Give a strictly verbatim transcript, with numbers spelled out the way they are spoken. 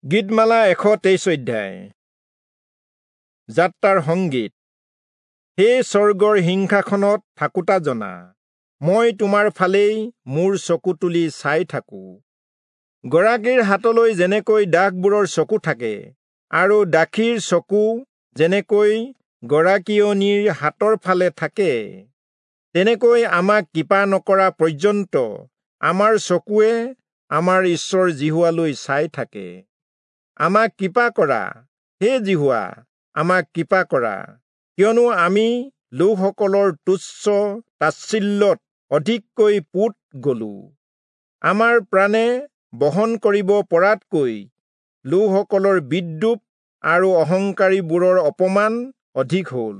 গীতমালা এশ তেইছ অধ্যায়। যাত্ৰাৰ সংগীত। হে স্বৰ্গৰ সিংহাসনত থাকোতা জনা, মই তোমাৰ ফালেই মোৰ চকু তুলি চাই থাকো। গৰাকীৰ হাতলৈ যেনেকৈ দাসবোৰৰ চকু থাকে আৰু দাসীৰ চকু যেনেকৈ গৰাকীয়নীৰ হাতৰ ফালে থাকে, তেনেকৈ আমাক কৃপা নকৰা পৰ্যন্ত আমাৰ চকুৱে আমাৰ ঈশ্বৰ যিহোৱালৈ চাই থাকে। আমাক কৃপা কৰা, হে যিহোৱা, আমাক কৃপা কৰা, কিয়নো আমি লোকসকলৰ তুচ্ছ তাচ্ছিল্যত অধিককৈ পোত গলো। আমাৰ প্ৰাণে বহন কৰিব পৰাতকৈ লোকসকলৰ বিদ্ৰূপ আৰু অহংকাৰীবোৰৰ অপমান অধিক হল।